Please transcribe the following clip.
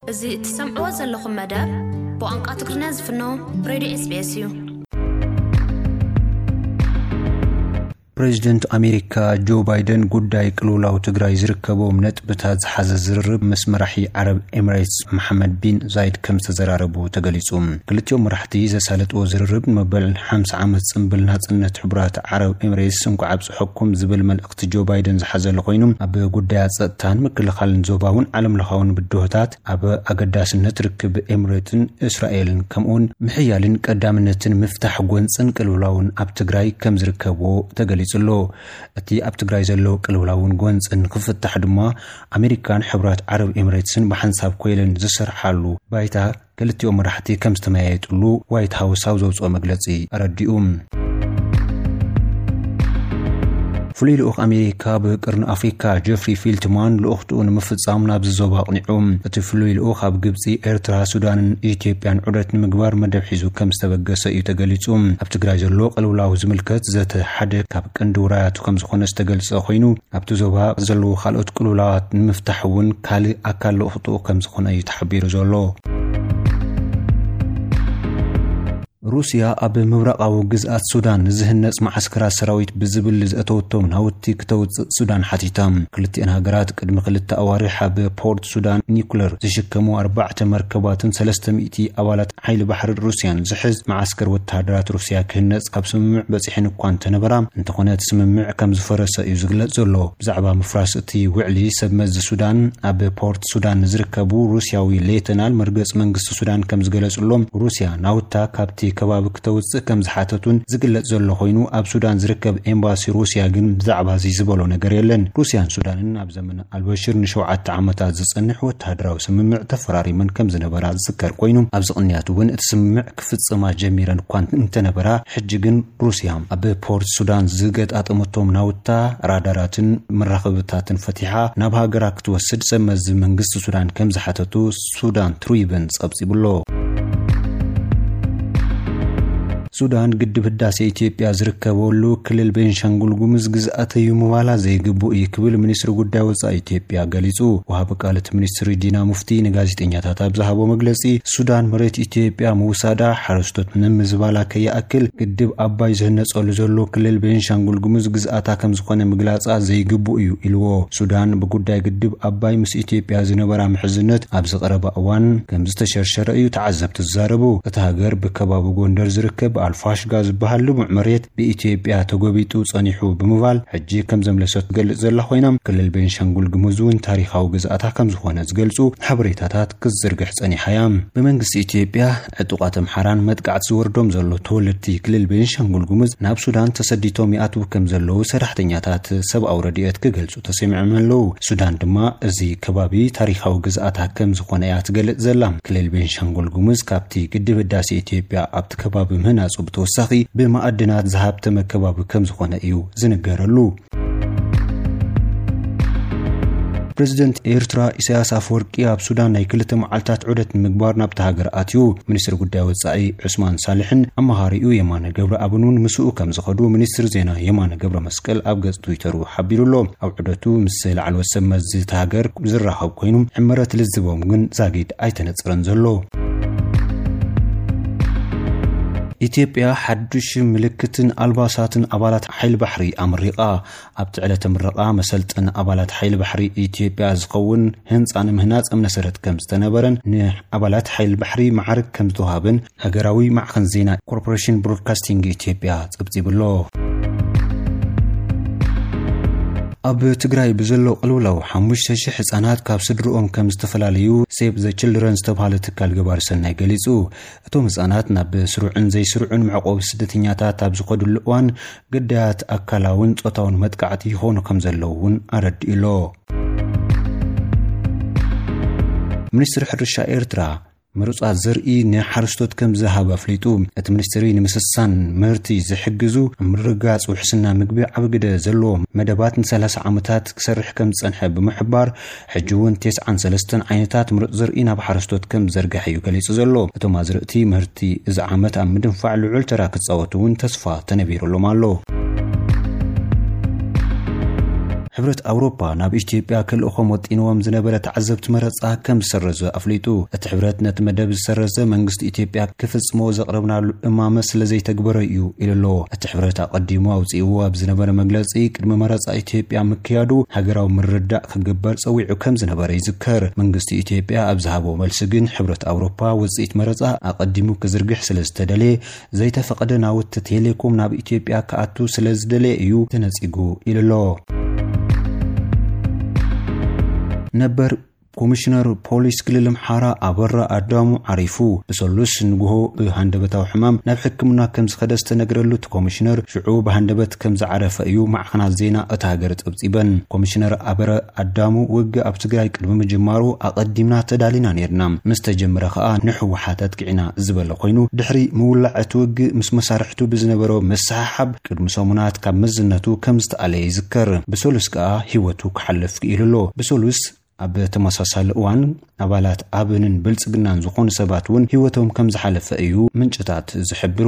እዚ እትሰምዕዎ ዘለኹም መደብ ብቋንቋ ትግርኛ ዝፍኖ ሬድዮ ኤስ ቢ ኤስ እዩ። ፕሬዚደንት ኣሜሪካ ጆ ባይደን ጉዳይ ቅልውላው ትግራይ ዝርከቦም ነጥብታት ዝሓዘ ዝርርብ ምስ መራሒ ዓረብ ኤምሬትስ መሓመድ ቢን ዛይድ ከም ዝተዘራረቡ ተገሊጹ። ክልቲኦም መራሕቲ ዘሳለጥዎ ዝርርብ ንመበል ሓምሳ ዓመት ጽንብል ናጽነት ሕቡራት ዓረብ ኤምሬትስ እንኳዕ ኣብጽሐኩም ዝብል መልእኽቲ ጆ ባይደን ዝሓዘለ ኮይኑ፣ ኣብ ጉዳያት ጸጥታን ምክልኻልን ዞባውን ዓለምለኻውን ብድሆታት ኣብ ኣገዳስነት ርክብ ኤምሬትን እስራኤልን ከምኡውን ምሕያልን ቀዳምነትን ምፍታሕ ጎንጽን ቅልውላውን ኣብ ትግራይ ከም ዝርከብዎ ተገሊጹ ኣሎ። እቲ ኣብ ትግራይ ዘሎ ቅልውላውን ጎንጽን ክፍታሕ ድማ ኣሜሪካን ሕብራት ዓረብ ኤምሬትስን ብሓንሳብ ኮይለን ዝሰርሓሉ ባይታ ክልቲኦም መራሕቲ ከም ዝተመያየጥሉ ዋይት ሃውስ ኣብ ዘውፅኦ መግለፂ ኣረዲኡ። ፍሉይ ልኡኽ ኣሜሪካ ብቅርኒ ኣፍሪካ ጀፍሪ ፊልትማን ልኡኽትኡ ንምፍጻም ናብዚ ዞባ ኣቕኒዑ። እቲ ፍሉይ ልኡኽ ኣብ ግብፂ፣ ኤርትራ፣ ሱዳንን ኢትዮጵያን ዑደት ንምግባር መደብ ሒዙ ከም ዝተበገሰ እዩ ተገሊጹ። ኣብ ትግራይ ዘሎ ቅልውላው ዝምልከት ዘተ ሓደ ካብ ቀንዲ ውራያቱ ከም ዝኾነ ዝተገልጸ ኮይኑ፣ ኣብቲ ዞባ ዘለዉ ካልኦት ቅልውላዋት ንምፍታሕ እውን ካልእ ኣካል ልኡኽትኡ ከም ዝኾነ እዩ ተሓቢሩ ዘሎ። ሩስያ ኣብ ምብራቓዊ ግዝኣት ሱዳን ንዝህነጽ መዓስከራት ሰራዊት ብዝብል ዘእተወቶም ናውቲ ክተውጽእ ሱዳን ሓቲታ። ክልቲኣን ሃገራት ቅድሚ ክልተ ኣዋርሕ ኣብ ፖርት ሱዳን ኒኩለር ዝሽከሙ ኣርባዕተ መርከባትን ሰለስተ ሚእቲ ኣባላት ሓይሊ ባሕሪ ሩስያን ዝሕዝ መዓስከር ወተሃደራት ሩስያ ክህነጽ ኣብ ስምምዕ በጺሐን እኳ እንተነበራ፣ እንተኾነ እቲ ስምምዕ ከም ዝፈረሰ እዩ ዝግለጽ ዘሎ። ብዛዕባ ምፍራስ እቲ ውዕሊ ሰብ መዚ ሱዳን ኣብ ፖርት ሱዳን ንዝርከቡ ሩስያዊ ሌተናል መርገጽ መንግስቲ ሱዳን ከም ዝገለጽሎም፣ ሩስያ ናውታ ካብቲ ከባቢ ክተውጽእ ከም ዝሓተቱን ዝግለጽ ዘሎ ኮይኑ፣ ኣብ ሱዳን ዝርከብ ኤምባሲ ሩስያ ግን ብዛዕባ እዚ ዝበሎ ነገር የለን። ሩስያን ሱዳንን ኣብ ዘመነ ኣልበሽር ንሸውዓተ ዓመታት ዝጸንሕ ወተሃደራዊ ስምምዕ ተፈራሪመን ከም ዝነበራ ዝዝከር ኮይኑ፣ ኣብዚ ቅንያት እውን እቲ ስምምዕ ክፍጽማ ጀሚረን እኳ እንተነበራ፣ ሕጂ ግን ሩስያ ኣብ ፖርት ሱዳን ዝገጣጠመቶም ናውታ፣ ራዳራትን መራኸብታትን ፈቲሓ ናብ ሃገራ ክትወስድ ሰብ መዚ መንግስቲ ሱዳን ከም ዝሓተቱ ሱዳን ትሪቡን ጸብጺቡ ኣሎ። ሱዳን ግድብ ህዳሴ ኢትዮጵያ ዝርከበሉ ክልል ቤንሻንጉል ጉሙዝ ግዝኣተይ እዩ ምባላ ዘይግቡእ እዩ ክብል ሚኒስትሪ ጉዳይ ወጻኢ ኢትዮጵያ ገሊጹ። ወሃቢ ቃል እቲ ሚኒስትሪ ዲና ሙፍቲ ንጋዜጠኛታት ኣብ ዝሃቦ መግለጺ፣ ሱዳን መሬት ኢትዮጵያ ምውሳዳ ሓረስቶት ንምዝባላ ከይኣክል ግድብ ኣባይ ዝህነጸሉ ዘሎ ክልል ቤንሻንጉል ጉሙዝ ግዝኣታ ከም ዝኾነ ምግላጻ ዘይግቡእ እዩ ኢልዎ። ሱዳን ብጉዳይ ግድብ ኣባይ ምስ ኢትዮጵያ ዝነበራ ምሕዝነት ኣብዚ ቀረባ እዋን ከም ዝተሸርሸረ እዩ ተዓዘብቲ ዝዛረቡ። እታ ሃገር ብከባቢ ጎንደር ዝርከብ ኣልፋሽጋ ዝበሃል ልሙዕ መሬት ብኢትዮጵያ ተጎቢጡ ጸኒሑ ብምባል ሕጂ ከም ዘምለሰት ትገልጽ ዘላ ኮይና፣ ክልል ቤንሻንጉል ጉሙዝ እውን ታሪኻዊ ግዝኣታ ከም ዝኾነ ዝገልጹ ሓበሬታታት ክትዝርግሕ ጸኒሓ እያ። ብመንግስቲ ኢትዮጵያ ዕጡቓት ኣምሓራን መጥቃዕቲ ዝወርዶም ዘሎ ተወለድቲ ክልል ቤንሻንጉል ጉሙዝ ናብ ሱዳን ተሰዲቶም ይኣትዉ ከም ዘለዉ ሰራሕተኛታት ሰብኣዊ ረድኤት ክገልጹ ተሰሚዖም ኣለዉ። ሱዳን ድማ እዚ ከባቢ ታሪኻዊ ግዝኣታ ከም ዝኾነ እያ ትገልጽ ዘላ። ክልል ቤንሻንጉል ጉሙዝ ካብቲ ግድብ ህዳሴ ኢትዮጵያ ኣብቲ ከባቢ ምህናጹ ብተወሳኺ ብማዕድናት ዝሃብተመ ከባቢ ከም ዝኾነ እዩ ዝንገረሉ። ፕሬዚደንት ኤርትራ ኢሳያስ ኣፈወርቂ ኣብ ሱዳን ናይ ክልተ መዓልታት ዑደት ንምግባር ናብቲ ሃገር ኣትዩ። ሚኒስትሪ ጉዳይ ወጻኢ ዑስማን ሳልሕን ኣማኻሪኡ የማነ ገብረኣብን እውን ምስኡ ከም ዝኸዱ ሚኒስትሪ ዜና የማነ ገብረ መስቀል ኣብ ገጽ ትዊተሩ ሓቢሩ ኣሎ። ኣብ ዑደቱ ምስ ላዕለዎት ሰብ መዚ እታ ሃገር ዝራኸብ ኮይኑ፣ ዕምረት ልዝቦም ግን ዛጊድ ኣይተነጸረን ዘሎ። ኢትዮጵያ ሓዱሽ ምልክትን ኣልባሳትን ኣባላት ሓይሊ ባሕሪ ኣመሪቓ። ኣብቲ ዕለተ ምረቓ መሰልጠኒ ኣባላት ሓይሊ ባሕሪ ኢትዮጵያ ዝኸውን ህንፃ ንምህናፅ እምነ ሰረት ከም ዝተነበረን ንኣባላት ሓይሊ ባሕሪ ማዕርግ ከም ዝተዋሃበን ሃገራዊ ማዕኸን ዜና ኮርፖሬሽን ብሮድካስቲንግ ኢትዮጵያ ፀብፂቡ ኣሎ። ኣብ ትግራይ ብዘሎ ቅልውላው ሓሙሽተ ሺሕ ህፃናት ካብ ስድርኦም ከም ዝተፈላለዩ ሴቭ ዘ ችልድረን ዝተባሃለ ትካል ገባሪ ሰናይ ገሊፁ። እቶም ህፃናት ናብ ስሩዕን ዘይስሩዕን መዕቆቢ ስደተኛታት ኣብ ዝኸድሉ እዋን ግዳያት ኣካላውን ጾታውን መጥቃዕቲ ይኾኑ ከም ዘለዉ እውን ኣረዲኡ ኣሎ። ሚኒስትሪ ሕርሻ ኤርትራ ምሩጻት ዘርኢ ንሓረስቶት ከም ዝሃበ ኣፍሊጡ። እቲ ሚኒስትሪ ንምስሳን ምህርቲ ዝሕግዙ ምርግጋጽ ውሕስና ምግቢ ዓቢ ግደ ዘለዎ መደባት ንሰላሳ ዓመታት ክሰርሕ ከም ዝጸንሐ ብምሕባር፣ ሕጂ እውን ተስዓን ሰለስተን ዓይነታት ምሩጽ ዘርኢ ናብ ሓረስቶት ከም ዝዘርግሐ እዩ ገሊጹ ዘሎ። እቶም ኣዝርእቲ ምህርቲ እዚ ዓመት ኣብ ምድንፋዕ ልዑል ተራ ክጻወቱ እውን ተስፋ ተነቢሩሎም ኣሎ። ሕብረት ኣውሮፓ ናብ ኢትዮጵያ ክልእኾም ወጢንዎም ዝነበረ ተዓዘብቲ መረጻ ከም ዝሰረዘ ኣፍሊጡ። እቲ ሕብረት ነቲ መደብ ዝሰረዘ መንግስቲ ኢትዮጵያ ክፍጽሞ ዘቕረብናሉ እማመ ስለ ዘይተግበረ እዩ ኢሉ ኣሎ። እቲ ሕብረት ኣቐዲሙ ኣውጺእዎ ኣብ ዝነበረ መግለጺ፣ ቅድሚ መረጻ ኢትዮጵያ ምክያዱ ሃገራዊ ምርዳእ ክግበር ጸዊዑ ከም ዝነበረ ይዝከር። መንግስቲ ኢትዮጵያ ኣብ ዝሃቦ መልሲ ግን፣ ሕብረት ኣውሮፓ ውጽኢት መረጻ ኣቐዲሙ ክዝርግሕ ስለ ዝተደልየ፣ ዘይተፈቐደ ናውቲ ቴሌኮም ናብ ኢትዮጵያ ክኣቱ ስለ ዝደለየ እዩ ተነጺጉ ኢሉ ኣሎ። ነበር ኮሚሽነር ፖሊስ ክልል ኣምሓራ ኣበራ ኣዳሙ ዓሪፉ። ብሰሉስ ንግሆ ብሃንደበታዊ ሕማም ናብ ሕክምና ከም ዝኸደ ዝተነግረሉ እቲ ኮሚሽነር፣ ሽዑ ብሃንደበት ከም ዝዓረፈ እዩ ማዕኸናት ዜና እታ ሃገር ጸብጺበን። ኮሚሽነር ኣበረ ኣዳሙ፣ ውግእ ኣብ ትግራይ ቅድሚ ምጅማሩ ኣቐዲምና ተዳሊና ነይርና። ምስ ተጀመረ ከኣ ንህወሓት ኣጥቂዕና ዝበለ ኮይኑ፣ ድሕሪ ምውላዕ እቲ ውግእ ምስ መሳርሕቱ ብዝነበሮ ምስሕሓብ ቅድሚ ሰሙናት ካብ መዝነቱ ከም ዝተኣለየ ይዝከር። ብሰሉስ ከኣ ህይወቱ ክሓልፍ ክኢሉ ኣሎ። ብሰሉስ ኣብ ተመሳሳሊ እዋን ኣባላት ኣብንን ብልጽግናን ዝኾኑ ሰባት እውን ህይወቶም ከም ዝሓለፈ እዩ ምንጭታት ዝሕብሩ።